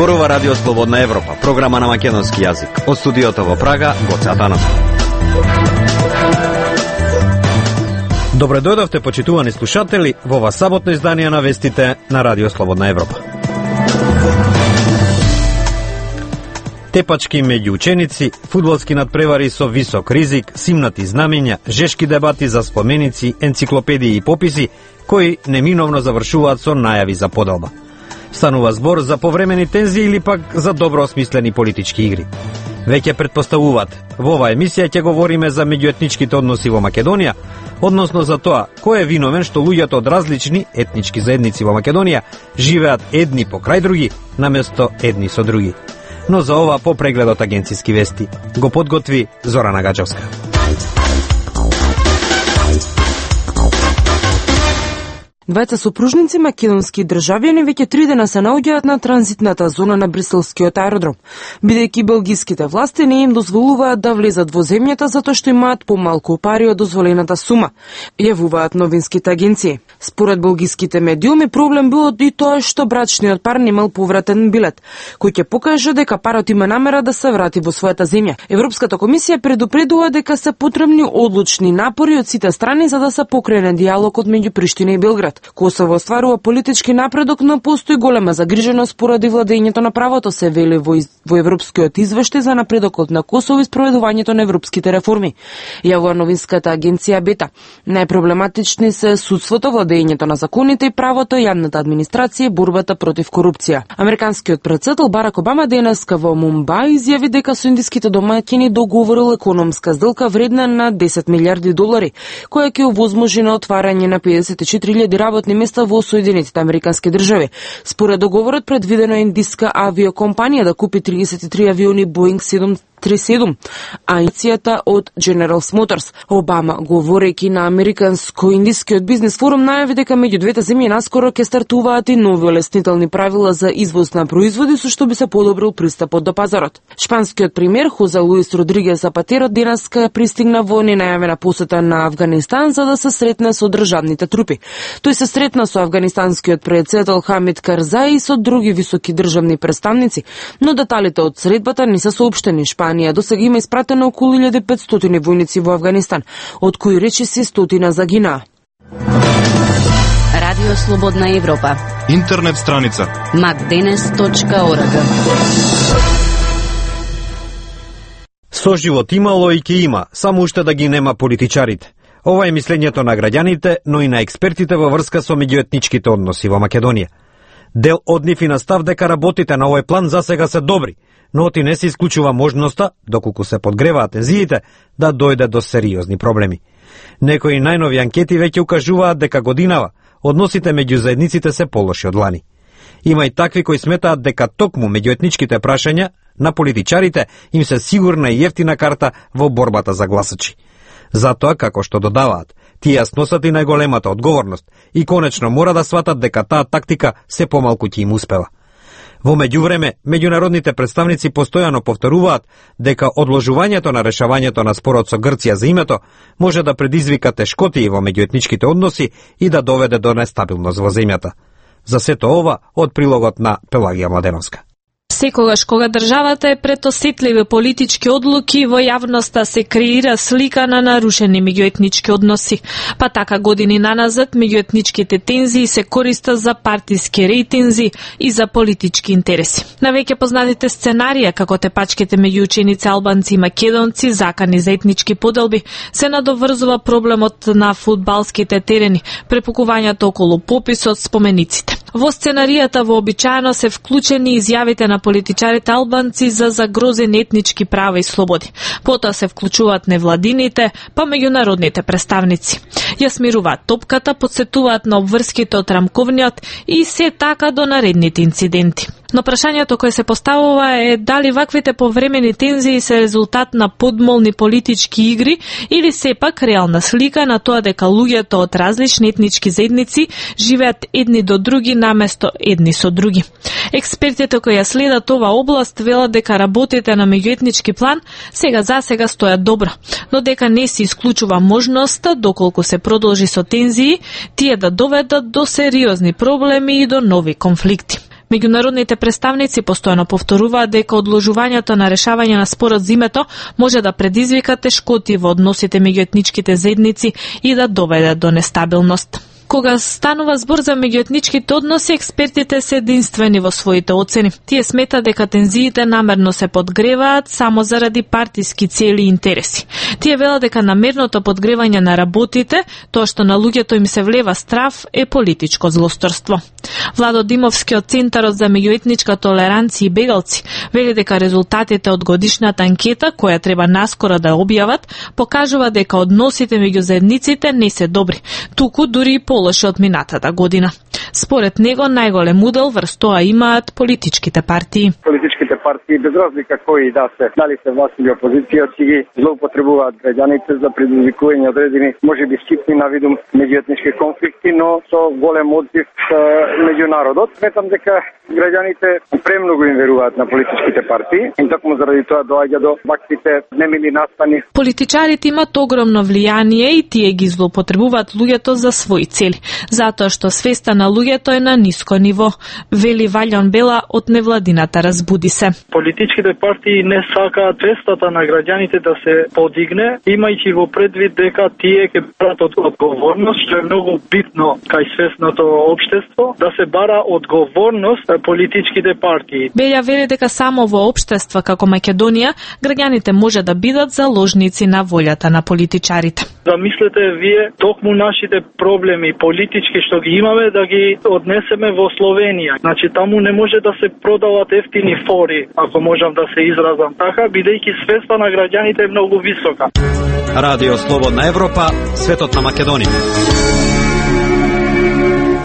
Зборува Радио Слободна Европа, програма на македонски јазик. Од студиото во Прага, Гоце Атанов. Добре дојдовте, почитувани слушатели, во ова саботно издание на вестите на Радио Слободна Европа. Тепачки меѓу ученици, фудбалски надпревари со висок ризик, симнати знамења, жешки дебати за споменици, енциклопедии и пописи, кои неминовно завршуваат со најави за поделба. Станува збор за повремени тензии или пак за добро осмислени политички игри. Веќе претпоставуваат, во оваа емисија ќе говориме за меѓуетничките односи во Македонија, односно за тоа кој е виновен што луѓето од различни етнички заедници во Македонија живеат едни покрај други, наместо едни со други. Но за ова по прегледот агенцијски вести го подготви Зорана Гаџовска. Двајца сопружници македонски државјани веќе 3 дена се наоѓаат на транзитната зона на бриселскиот аеродром, бидејќи белгиските власти не им дозволуваат да влезат во земјата затоа што имаат помалку пари од дозволената сума, јавуваат новинските агенции. Според белгиските медиуми проблем бил и тоа што брачниот пар немал повратен билет, кој ќе покаже дека парот има намера да се врати во својата земја. Европската комисија предупредува дека се потребни одлучни напори од сите страни за да се покрене дијалогот меѓу Приштина и Белград. Косово остварува политички напредок, но постои голема загриженост поради владењето на правото, се вели во европскиот извештај за напредокот на Косово и спроведувањето на европските реформи. Јавува новинската агенција Бета. Најпроблематични се судството, владењето на законите и правото, јавната администрација и борбата против корупција. Американскиот претседател Барак Обама денеска во Мумбај изјави дека со индиските домаќини договорил економска сделка вредна на $10 милиарди, која ќе овозможи на отварање на 54.000 работни места во Соединетите Американски држави. Според договорот предвидено е индиска авиокомпанија да купи 33 авиони Boeing 737, а иницијата од General Motors. Обама, говорејќи на Американско-индискиот бизнес форум, најави дека меѓу двете земји наскоро ќе стартуваат и нови олеснителни правила за извоз на производи, со што би се подобрил пристапот до пазарот. Шпанскиот премиер Хозе Луис Родригес Запатеро денеска пристигна во ненајавена посета на Авганистан за да се сретне со државните трупи. Тој се сретна со афганистанскиот претседател Хамид Карзаи и со други високи државни представници, но деталите од средбата не се соопштени. Шпанија досега има испратено околу 1500 војници во Афганистан, од кои речиси 100 загинаа. Радио Слободна Европа. Интернет страница macdenes.org. Соживот имало и ќе има, само уште да ги нема политичарите. Ова е мислењето на граѓаните, но и на експертите во врска со меѓуетничките односи во Македонија. Дел од нив и на став дека работите на овој план засега се добри, но оти не се исклучува можноста, доколку се подгреваат тензиите, да дојде до сериозни проблеми. Некои најнови анкети веќе укажуваат дека годинава односите меѓу заедниците се полоши од лани. Има и такви кои сметаат дека токму меѓуетничките прашања на политичарите им се сигурна и ефтина карта во борбата за гласачи. Затоа, како што додаваат, тие сносат и најголемата одговорност и конечно мора да сватат дека таа тактика се помалку ќе им успева. Во меѓувреме, меѓународните представници постојано повторуваат дека одложувањето на решавањето на спорот со Грција за името може да предизвика тешкотии во меѓуетничките односи и да доведе до нестабилност во земјата. За сето ова од прилогот на Пелагија Младеновска. Секогаш кога државата е пред осетливи политички одлуки, во јавноста се креира слика на нарушени меѓуетнички односи. Па така години наназад меѓуетничките тензии се користат за партиски рейтинзи и за политички интереси. На веќе познатите сценарија, како тепачките меѓу ученици албанци и македонци, закани за етнички поделби, се надоврзува проблемот на фудбалските терени, препукувањето околу пописот, спомениците. Во сценаријата вообичаено се вклучени изјавите на политичарите албанци за загрозени етнички права и слободи. Потоа се вклучуваат невладините, па меѓународните представници. Ја смируваат топката, подсетуваат на обврските од рамковниот и се така до наредните инциденти. Но прашањето кое се поставува е дали ваквите повремени тензии се резултат на подмолни политички игри или сепак реална слика на тоа дека луѓето од различни етнички заедници живеат едни до други наместо едни со други. Експертите кои ја следат ова област велат дека работите на меѓуетнички план сега стојат добро, но дека не се исклучува можноста, доколку се продолжи со тензии, тие да доведат до сериозни проблеми и до нови конфликти. Меѓународните представници постојано повторуваат дека одложувањето на решавање на спорот за името може да предизвика тешкоти во односите меѓу етничките заедници и да доведе до нестабилност. Кога станува збор за меѓуетничките односи, експертите се единствени во своите оцени. Тие сметаат дека тензиите намерно се подгреваат само заради партиски цели и интереси. Тие велат дека намерното подгревање на работите, тоа што на луѓето им се влева страв, е политичко злосторство. Владо Димовски од Центарот за меѓуетничка толеранција и бегалци вели дека резултатите од годишната анкета, која треба наскоро да објават, покажува дека односите меѓу заедниците не се добри, туку дури и полоши од минатата година. Според него најголем удел врз тоа имаат политичките партии. Политичките партии, без разлика кои да се, дали се власт или опозиција, си ги злоупотребуваат граѓаните за предизвикување одредени, можеби ситни на видум меѓуетнички конфликти, но со голем одзив меѓу народот. Сметам дека граѓаните премногу им веруваат на политичките партии и токму заради тоа доаѓа до ваквите немили настани. Политичарите имаат огромно влијание и тие ги злоупотребуваат луѓето за своји цели, затоа што свеста на луѓето е на ниско ниво, вели Валјон Бела од невладината Разбуди се. Политичките партии не сакаат свестата на граѓаните да се подигне, имајќи во предвид дека тие ќе барат одговорност, што е многу битно кај свесното општество, да се бара одговорност политичките партии. Белја вели дека само во општества како Македонија, граѓаните може да бидат заложници на волјата на политичарите. Замислете вие токму нашите проблеми политички што ги имаме да ги однесеме во Словенија. Значи таму не може да се продават ефтини фори, ако можам да се изразам така, бидејќи свеста на граѓаните е многу висока. Радио Слободна Европа, светот на Македонија.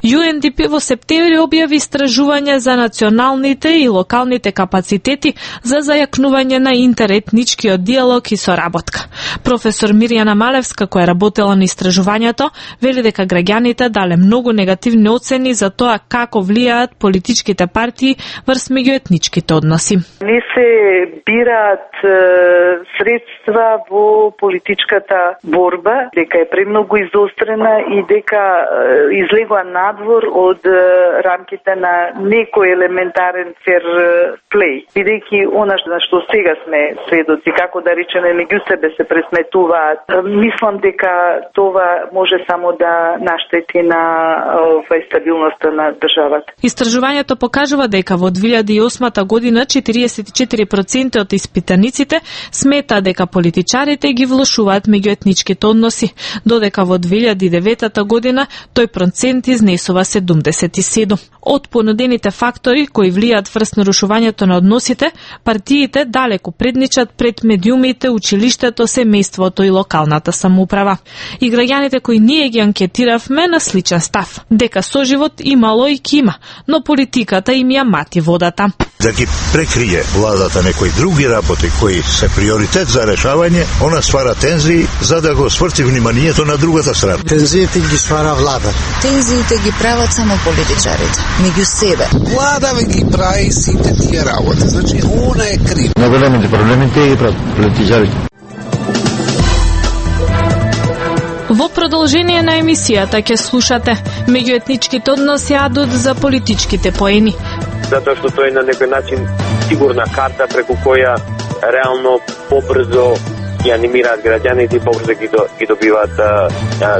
UNDP во септември објави истражување за националните и локалните капацитети за зајакнување на интеретничкиот диалог и соработка. Професор Мирјана Малевска, која работела на истражувањето, вели дека граѓаните дале многу негативни оцени за тоа како влијаат политичките партии врз меѓуетничките односи. Не се бираат средства во политичката борба, дека е премногу изострена и дека излегува надвор од рамките на некој елементарен фер плей. Бидејќи она на што сега сме сведоци, како да речеме меѓу себе се пресметуваат, мислам дека това може само да наштети на стабилноста на државата. Истражувањето покажува дека во 2008 година 44% од испитаниците смета дека политичарите ги влошуваат меѓуетничките односи, додека во 2009 година тој процент изнесува 77. Од понудените фактори кои влијаат врз нарушувањето на односите, партиите далеку предничат пред медиумите, училиштето, семејството и локалната самоуправа. И граѓаните кои ние ги анкетиравме на сличен став, дека соживот имало и кима, но политиката им ја мати водата. Да ги прекрие владата некои други работи кои се приоритет за решавање, она ствара тензии за да го сврти вниманието на другата страна. Тензиите ги ствара влада. Тензиите ги прават само политичарите, меѓу себе. Влада ги прави сите тие работи, значи она е крив. Најголемите проблеми тие ги прават политичарите. Во продолжение на емисијата ќе слушате меѓуетничките односи адут за политичките поени. Затоа што тоа е на некој начин сигурна карта преку која реално побрзо ги анимираат граѓаните и побрзо ги добиваат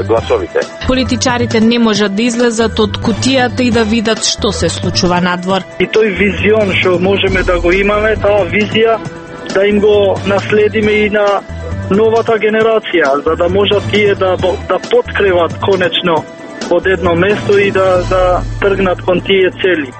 гласовите. Политичарите не можат да излезат од кутијата и да видат што се случува надвор. И тој визион што можеме да го имаме, таа визија да им го наследиме и на новата генерација, за да можат тие да подкреват конечно од едно место и да тргнат кон тие цели.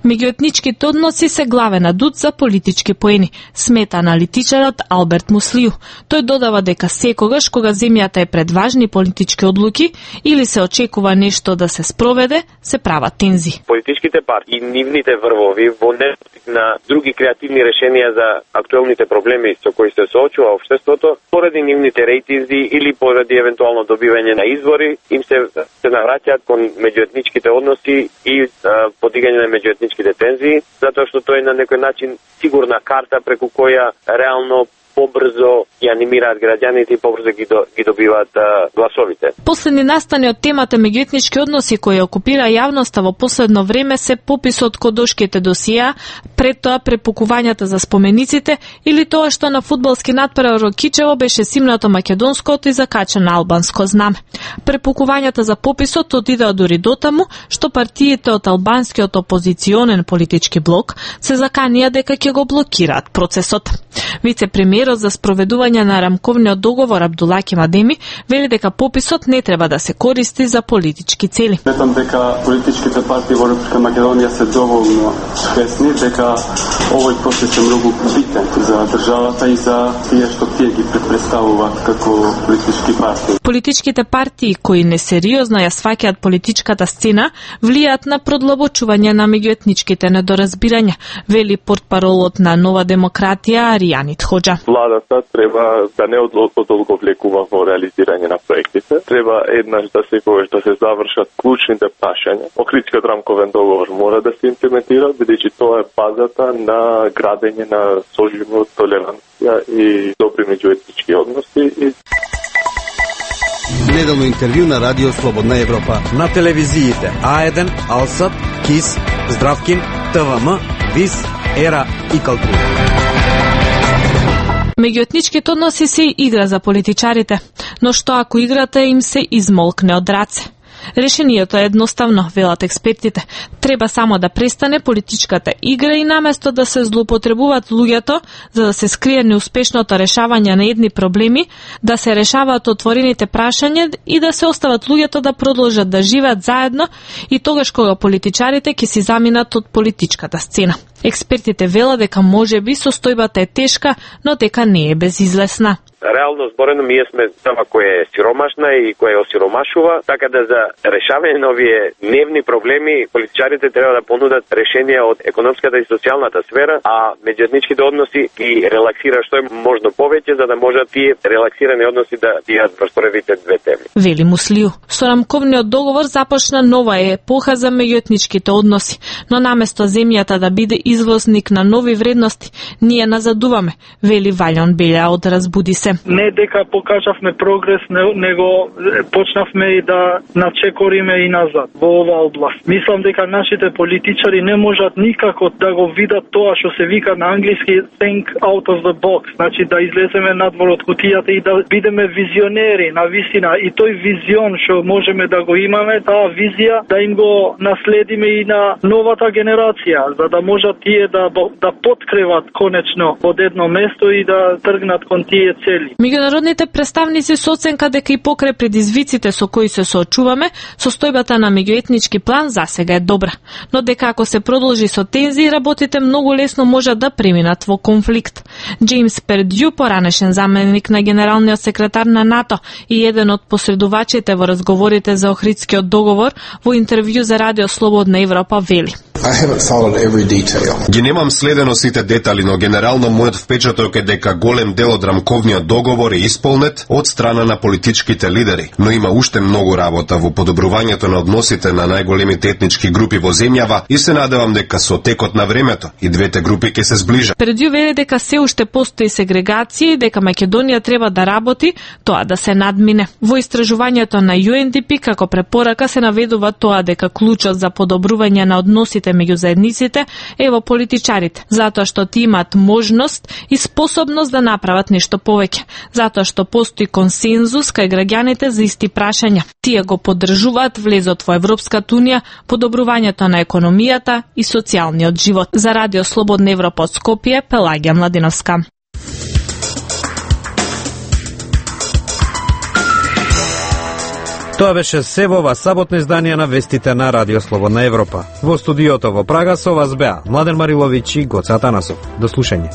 Меѓуетничките односи се главен адут за политички поени, смета аналитичарот Алберт Муслију. Тој додава дека секогаш кога земјата е пред важни политички одлуки или се очекува нешто да се спроведе, се прават тензи. Политичките партии и нивните врвови во недостиг на други креативни решенија за актуелните проблеми со кои се соочува општеството, поради нивните рейтинзи или поради евентуално добивање на избори, им се навраќаат кон меѓуетничките односи и подигање на меѓуетничките тензии, затоа што тоа е на некој начин сигурна карта преку која реално побрзо ги анимираат граѓаните и побрзо ги добиваат гласовите. Последни настани од темата меѓуетнички односи кои окупира јавноста во последно време се пописот кодошките досија, пред тоа препукувањата за спомениците или тоа што на фудбалски надпревар во Кичево беше симнато македонското и закачено албанско знаме. Препукувањата за пописот отидеа дури дотаму што партиите од албанскиот опозиционен политички блок се заканија дека ќе го блокираат процесот. Вице-премиерот за спроведување на рамковниот договор Абдулаки Мадеми вели дека пописот не треба да се користи за политички цели. Сметам дека политичките партии во Република Македонија се доволно свесни дека овој процес е многу битен за државата и за тие што тие ги представуваат како политички партии. Политичките партии кои несериозно ја сваќаат политичката сцена влијаат на продлабочување на меѓуетничките недоразбирања, вели портпаролот на Нова демократија Аријанит Хоџа. Владата треба да не одолговлекува во реализирање на проектите. Треба еднаш да се завршат клучните прашања. Охридскиот рамковен договор мора да се имплементира, бидејќи тоа е базата на градење на соживот, толеранција и добри меѓуетнички односи. Неделно интервју на Радио Слободна Европа. На телевизиите А1, Алсат, КИС, Здравкин, ТВМ, ВИС, ЕРА и Калтура. Меѓуетничките односи се игра за политичарите, но што ако играта им се измолкне од раце? Решението е едноставно, велат експертите. Треба само да престане политичката игра и наместо да се злоупотребуваат луѓето за да се скрие неуспешното решавање на едни проблеми, да се решаваат отворените прашања и да се остават луѓето да продолжат да живеат заедно и тогаш кога политичарите ќе си заминат од политичката сцена. Експертите велат дека можеби состојбата е тешка, но дека не е безизлесна. Реално зборено, ние сме држава која е сиромашна и која е осиромашува, така да за решавање на овие дневни проблеми политичарите треба да понудат решенија од економската и социјалната сфера, а меѓуетничките односи ги релаксира што е можно повеќе за да можат тие релаксирани односи да бидат во првите две теми. Вели Муслиу, со рамковниот договор започна нова епоха за меѓуетничките односи, но наместо земјата да биде извозник на нови вредности, ние назадуваме, вели Валјон Белја од Разбуди се. Не дека покажавме прогрес, него почнавме и да начекориме и назад во оваа област. Мислам дека нашите политичари не можат никако да го видат тоа што се вика на англиски think out of the box, значи да излеземе надвор од кутијата и да бидеме визионери на вистина и тој визион што можеме да го имаме, таа визија да им го наследиме и на новата генерација, за да можат тие да поткреват конечно од едно место и да тргнат кон тие цели. Меѓународните представници со оценка дека и покрај предизвиците со кои се соочуваме, состојбата на меѓуетнички план засега е добра, но дека ако се продолжи со тензии, работите многу лесно можат да преминат во конфликт. Джеймс Пердју, поранешен заменик на генералниот секретар на НАТО и еден од посредувачите во разговорите за Охридскиот договор, во интервју за Радио Слободна Европа вели: Ги немам следено сите детали, но генерално мојот впечаток е дека голем дел од рамковниот договор е исполнет од страна на политичките лидери, но има уште многу работа во подобрувањето на односите на најголемите етнички групи во земјава и се надевам дека со текот на времето и двете групи ќе се зближат. Пердју вели дека се уште постои сегрегација и дека Македонија треба да работи тоа да се надмине. Во истражувањето на UNDP како препорака се наведува тоа дека клучот за подобрување на односите меѓу заедниците е во политичарите, затоа што ти имаат можност и способност да направат нешто повеќе, затоа што постои консензус кај граѓаните за исти прашања. Тие го поддржуваат влезот во Европската унија, подобрувањето на економијата и социјалниот живот. За Радио Слободна Европа од Скопје, Пелагија Младиновска. Тоа беше се во ова саботно издание на вестите на Радио Слободна Европа. Во студиото во Прага со вас беа Младен Мариловиќ и Гоце Атанасов. До слушање.